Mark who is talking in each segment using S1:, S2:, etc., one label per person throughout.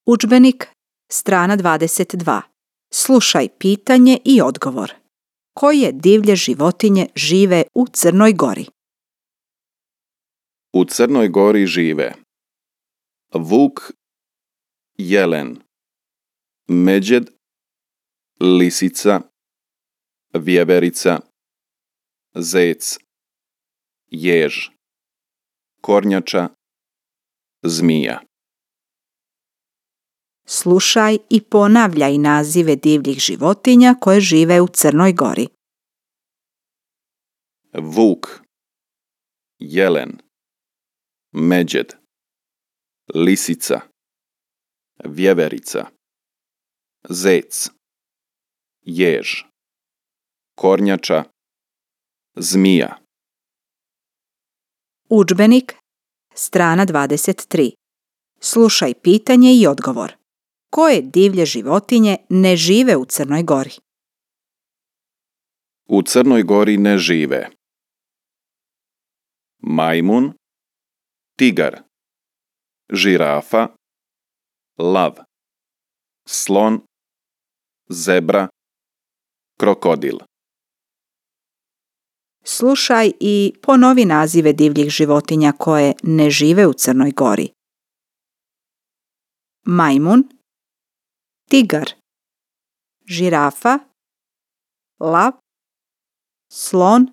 S1: Udžbenik, strana 22. Slušaj pitanje i odgovor. Koje divlje životinje žive u Crnoj Gori?
S2: U Crnoj Gori žive vuk, jelen, međed, lisica, vjeverica, zec, jež, kornjača, zmija.
S1: Slušaj i ponavljaj nazive divljih životinja koje žive u Crnoj Gori.
S2: Vuk, jelen, međed, lisica, vjeverica, zec, jež, kornjača, zmija.
S1: Udžbenik, strana 23. Slušaj pitanje i odgovor. Koje divlje životinje ne žive u Crnoj Gori?
S2: U Crnoj Gori ne žive majmun, tigar, žirafa, lav, slon, zebra, krokodil.
S1: Slušaj i ponovi nazive divljih životinja koje ne žive u Crnoj Gori. Majmun, tigar, žirafa, lav, slon,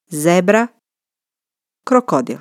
S1: zebra, krokodil.